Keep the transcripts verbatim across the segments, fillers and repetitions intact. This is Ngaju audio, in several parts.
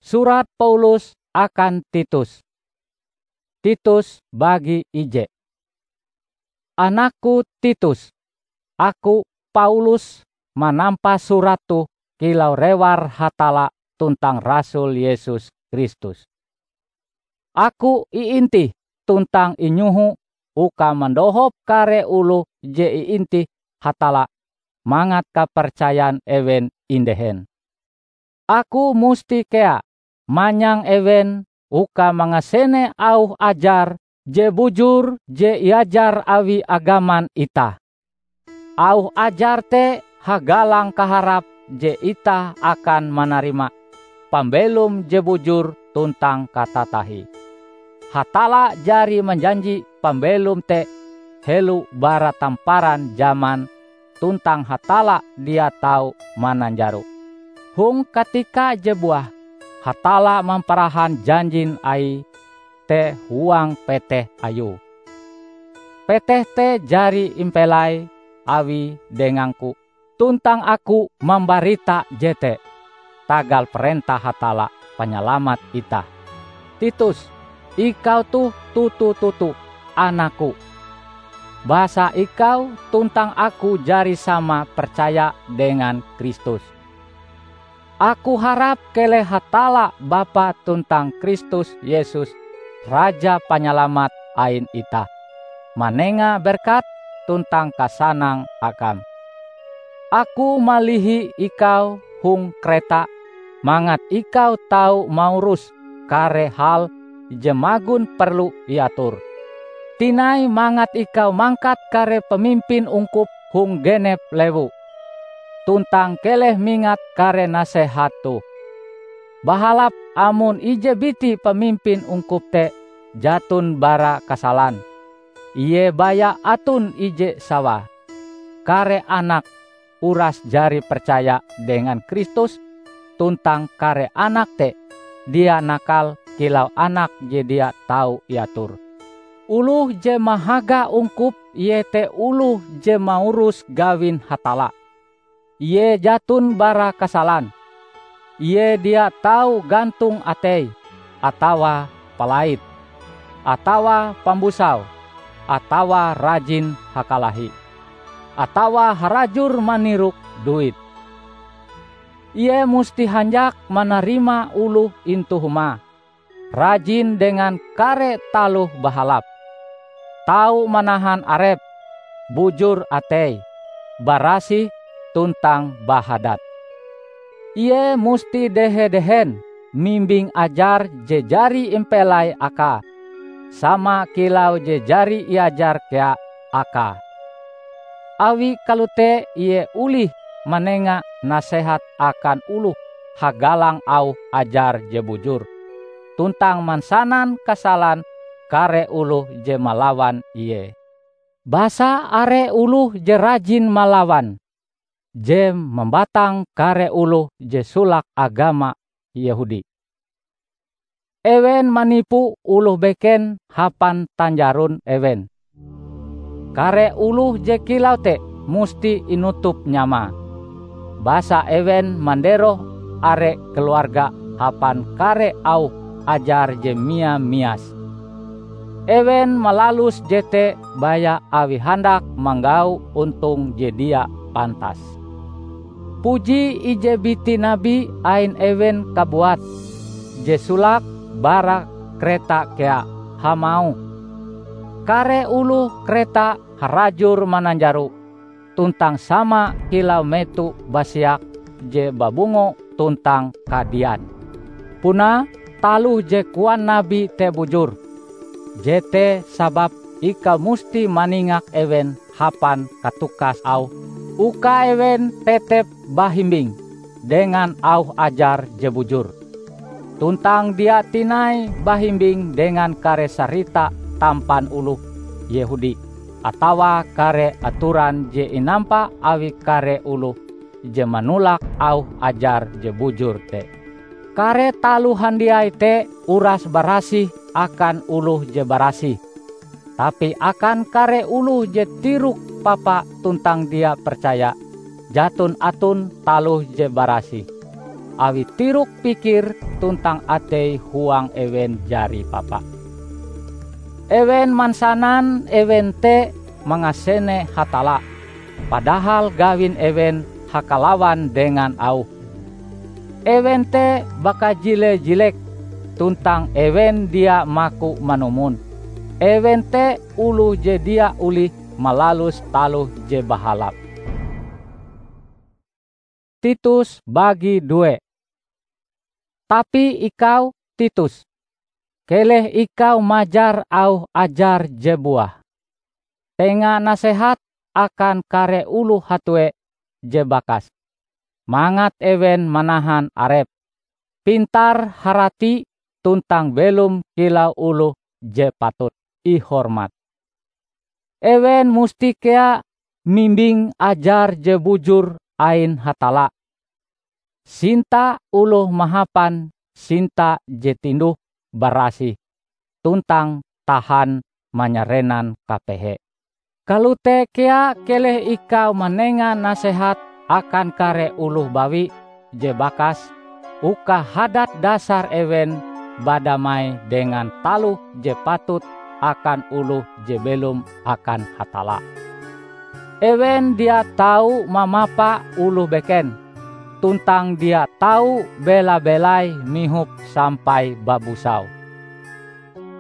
Surat Paulus akan Titus. Titus bagi ije. Anakku Titus, aku Paulus manampa surat toh kilau rewar Hatalla tuntang rasul Yesus Kristus. Aku iintih tuntang inyoho uka mandohop kare oloh je iintih Hatalla mangat kapercayan ewen indehen. Aku musti kea manyang ewen uka mangasene auh ajar je bujur je iajar awi agaman itah. Auh ajar te hagalang kaharap je itah akan manarima pambelom je bujur tuntang katatahie. Hatalla jari manjanji pambelom te helo bara tamparan jaman tuntang Hatalla dia tau mananjaro. Hong katika je buah, Hatalla mamparahan janjin Aie te huang peteh Ayue. Peteh te jari impelai Awie dengangku, tuntang aku mambarita jete tagal parentah Hatalla Panyalamat itah. Titus, ikau toh toto-toto anakku, basa ikau tuntang aku jari sama percaya dengan Kristus. Aku harap keleh Hatalla Bapa tuntang Kristus Yesus, Raja Panyalamat ain itah, manenga berkat tuntang kasanang akam. Aku malihi ikau hong Kreta mangat ikau tau maurus kare hal je magon perlu iator. Tinai mangat ikau mangkat kare pamimpin ungkup hong genep lewu, tuntang keleh mingat kare nasehat toh. Bahalap amon ije biti pamimpin ungkup te jaton bara kasalan, ie baya aton ije sawae. Kare anak uras jari percaya dengan Kristus, tuntang kare anak te dia nakal kilau anak je dia tau iator. Oloh je mahaga ungkup iete oloh je maurus gawin Hatalla. Ie jaton bara kasalan. Ie dia tau gantong atei, atawa palait, atawa pambusau, atawa rajin hakalahi, atawa harajur manirok duit. Ie musti hanjak manarima oloh intu humae, rajin dengan kare taloh bahalap, tau manahan arepe, bujur ateie, barasih tuntang bahadat. Ie musti dehe-dehen mimbing ajar je jari impelai akae, sama kilau je jari iajar kea akae. Awi kalote ie olih manenga nasehat akan oloh hagalang auh ajar je bujur, tuntang mansanan kasalan kare oloh je malawan ie. Basa are oloh je rajin malawan, je mambatang kare oloh je solake agama Yehudi. Ewen manipu oloh beken hapan tanjaron ewen. Kare oloh je kilau te musti inutup nyamae, basa ewen manderoh are keluarga hapan kare auh ajar je mia-mias. Ewen malalus jete baya awi handak manggau ontong je dia pantas. Puji ije biti nabi ain ewen kabuat, je solake bara Kreta kea, hamauh, "Kare oloh Kreta harajur mananjaro, tuntang sama kilau meto basiak je babungo tuntang kadian." Punae, taloh je koan nabi te bujur. Jete sababe ikau musti maningak ewen hapan katukas auhe, uka ewen tetep bahimbing dengan auh ajar je bujur, tuntang dia tinai bahimbing dengan kare sarita tampan oloh Yehudi atawa kare atoran je inampa awi kare oloh je manolak auh ajar je bujur te. Kare taloh handiai te uras barasih akan oloh je barasih, tapi akan kare oloh je tirok papa tuntang dia percaya, jaton aton taloh je barasih. awi tirok pikir tuntang atei huang ewen jari papa. Ewen mansanan ewen te mangasene Hatalla, padahal gawin ewen hakalawan dengan auhe. Ewen te bakajile-jilek, tuntang ewen dia maku manumon. Ewen te oloh je dia olih malalus taloh je bahalap. Titus bagi due. Tapi ikau, Titus, keleh ikau majar auh ajar je buah. Tenga nasehat akan kare oloh hatue je bakas, mangat ewen manahan arep, pintar harati tuntang belom kilau oloh je patut ihormat. Ewen musti kea mimbing ajar je bujur ain Hatalla. Sinta oloh mahapan sinta je tinduh-barasih tuntang tahan manyarenan kapehe. Kalote kea keleh ikau manenga nasehat akan kare oloh bawi je bakas, uka hadat dasar ewen badamai dengan taloh je patut akan oloh je belom akan Hatalla. Ewen dia tau mamapa oloh beken, tuntang dia tau bela-belai mihop sampai babusau.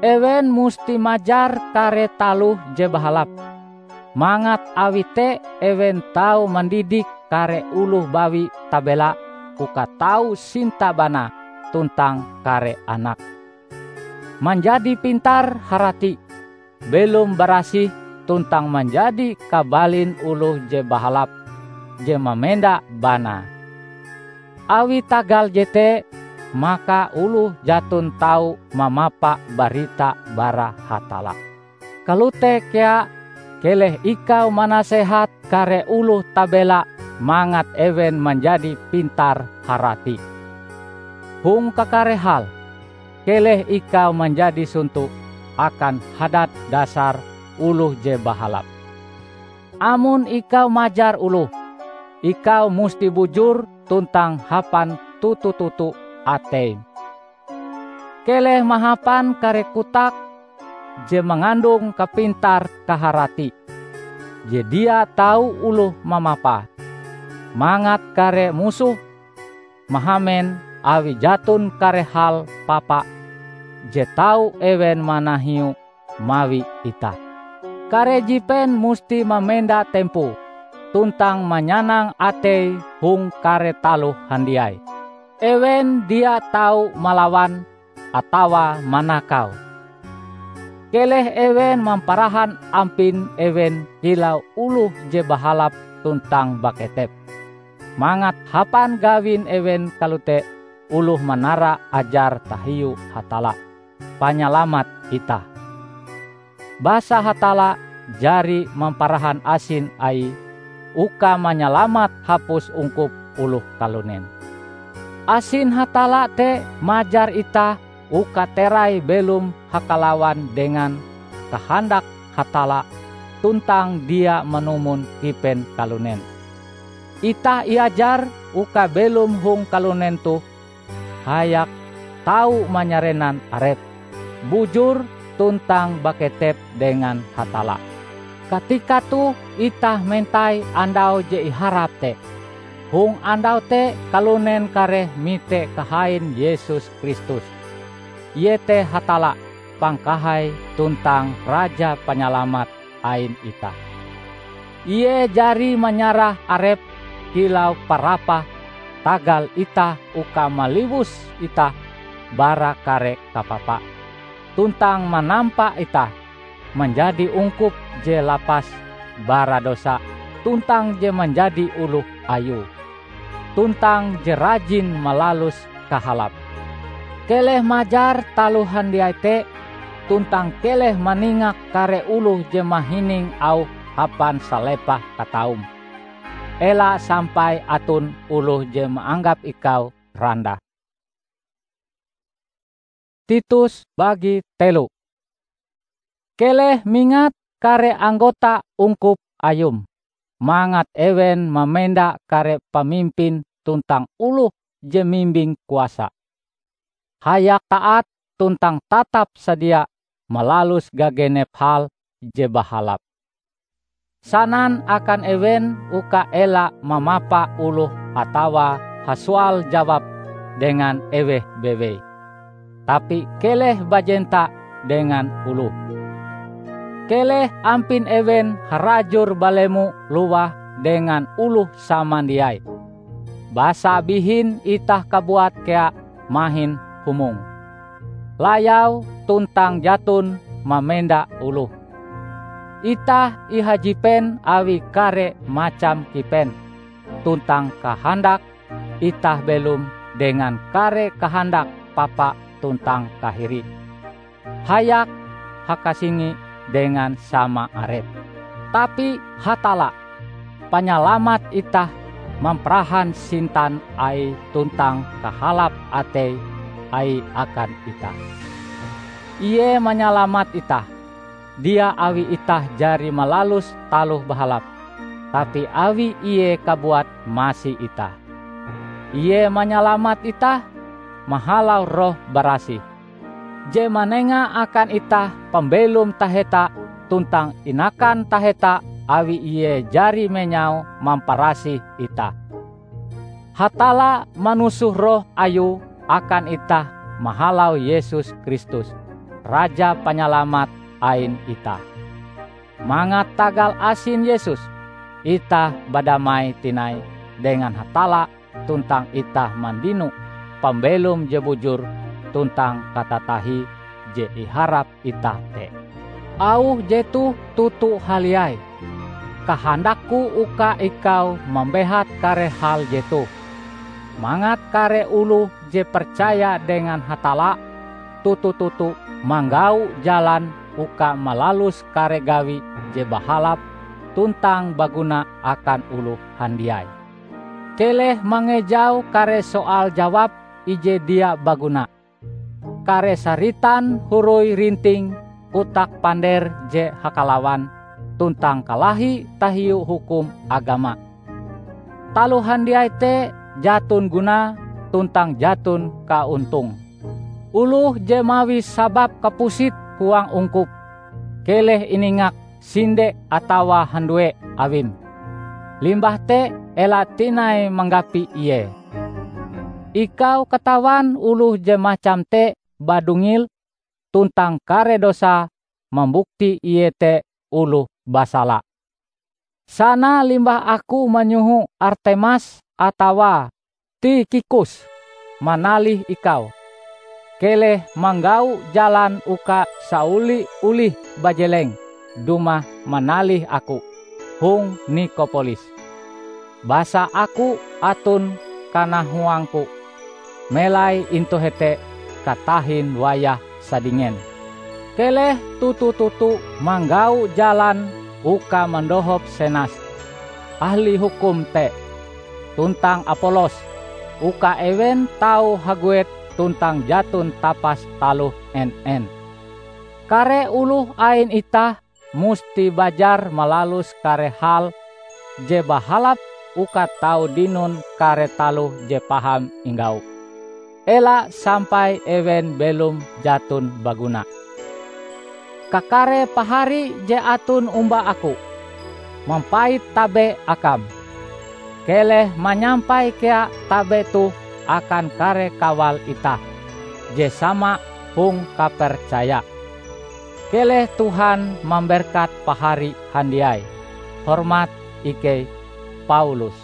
Ewen musti majar kare taloh je bahalap, mangat awi te ewen tau mandidik kare oloh bawi tabela uka tau sinta banae tuntang kare anake. Manjadi pintar harati, belom barasih tuntang manjadi kabalin oloh je bahalap je mamenda banae. Awi tagal jete, maka oloh jaton tau mamapa barita bara Hatalla. Kalote kea, keleh ikau manasehat kare oloh tabela mangat ewen manjadi pintar harati. Hong kakare hal, keleh ikau manjadi sonto akan hadat dasar oloh je bahalap. Amon ikau majar oloh, ikau musti bujur tuntang hapan toto-toto ateim. Keleh mahapan kare kotak je mangandong kapintar-kaharati, je dia tau oloh mamapae, mangat kare musoh mahamen awi jaton kare hal papa je tau ewen manahiu mawi itah. Kare jipen musti mamenda tempoe tuntang manyanang atei hong kare taloh handiai. Ewen dia tau malawan atawa manakau. Keleh ewen mamparahan ampin ewen kilau oloh je bahalap tuntang baketep, mangat hapan gawin ewen kalote oloh manara ajar tahiu Hatalla, Panyalamat itah. Basa Hatalla jari mamparahan asin Aie uka manyalamat hapus ungkup oloh kalunen. Asin Hatalla te majar itah uka terai belom hakalawan dengan kahandak Hatalla tuntang dia manumon kipen kalunen. Itah iajar uka belom hong kalunen toh hayak tau manyarenan arep, bujur tuntang baketep dengan Hatalla. Katika toh itah mentai andau je iharap te. Hong andau te kalunen kareh mite kahain Yesus Kristus, iete Hatalla, Pangkahai tuntang Raja Panyalamat ain itah. Ie jari manyarah Arepe kilau parapah tagal itah uka maliwus itah bara kare kapapa, tuntang manampa itah manjadi ungkup je lapas bara dosa tuntang je manjadi oloh Ayue, tuntang je rajin malalus kahalape. Keleh majar taloh handiai te, tuntang keleh maningak kare oloh je mahining auhe hapan salepah kataum. Ela sampai aton oloh je maanggap ikau randah. Titus bagi telo. Keleh mingat kare anggota ungkup ayum, mangat ewen mamenda kare pamimpin tuntang oloh je mimbing kuasa. Hayak taat tuntang tatap sadia malalus gagenep hal je bahalap. Sanan akan ewen uka ela mamapa oloh atawa hasoal jawab dengan eweh bewei. Tapi keleh bajenta dengan oloh. Keleh ampin ewen harajur balemo lowah dengan oloh samandiai. Basa bihin itah kabuat kea mahin humong. Layau tuntang jaton mamenda oloh. Itah ihajipen awi kare macam kipen, tuntang kahandak itah belom dengan kare kahandak papa tuntang kahiri. Hayak hakasingi dengan sama arep. Tapi Hatalla, Panyalamat itah, mamparahan sintan Aie tuntang kahalap atei Aie akan itah. Ie manyalamat itah, dia awi itah jari malalus taloh bahalap, tapi awi Ie kabuat masi itah. Ie manyalamat itah mahalau Roh Barasih, je manenga akan itah pambelom taheta tuntang inakan taheta awi Ie jari menyau mamparasih itah. Hatalla manusoh Roh Ayue akan itah mahalau Yesus Kristus, Raja Panyalamat ain itah. Mangat tagal asin Yesus, itah badamai tinai dengan Hatalla tuntang itah mandino pambelom je bujur tuntang katatahie je iharap itah te. Auh jetoh toto haliai. Kahandakku uka ikau mambehat kare hal jetoh, mangat kare oloh je percaya dengan Hatalla toto-toto manggau jalan uka malalus kare gawi je bahalap tuntang baguna akan oloh handiai. Keleh mangejau kare soal jawab ije dia baguna, kare saritan huroi rinting kotak pander je hakalawan tuntang kalahi tahiu hukum agama. Taloh handiai te jaton gunae tuntang jaton kaontong. Oloh je mawi sabab kapusit huang ungkup, keleh iningak sinde atawa handue awim. Limbah te ela tinai manggapi ie. Ikau katawan oloh je macam te badungil tuntang kare dosae mambukti ie te oloh basala. Sana limbah aku manyoho Artemas atawa Tikhikus manalih ikau, keleh manggau jalan uka saoli olih bajeleng dumah manalih aku hong Nikopolis. Basa aku aton kanahuangku melai intu hete katahin wayah sadingen. Keleh toto-toto manggau jalan uka mandohop Senas, ahli hukum te, tuntang Apolos, uka ewen tau haguet tuntang jaton tapas taloh en-en. Kare oloh ain itah musti bajar malalus kare hal je bahalap uka tau dinon kare taloh je paham inggau. Ela sampai ewen belom jaton baguna. Kakare pahari je aton omba aku, mampait tabe akam. Keleh manyampai kea tabe toh akan kare kawal itah je sama hong kapercaya. Keleh Tuhan mamberkat pahari handiai. Hormat ikei, Paulus.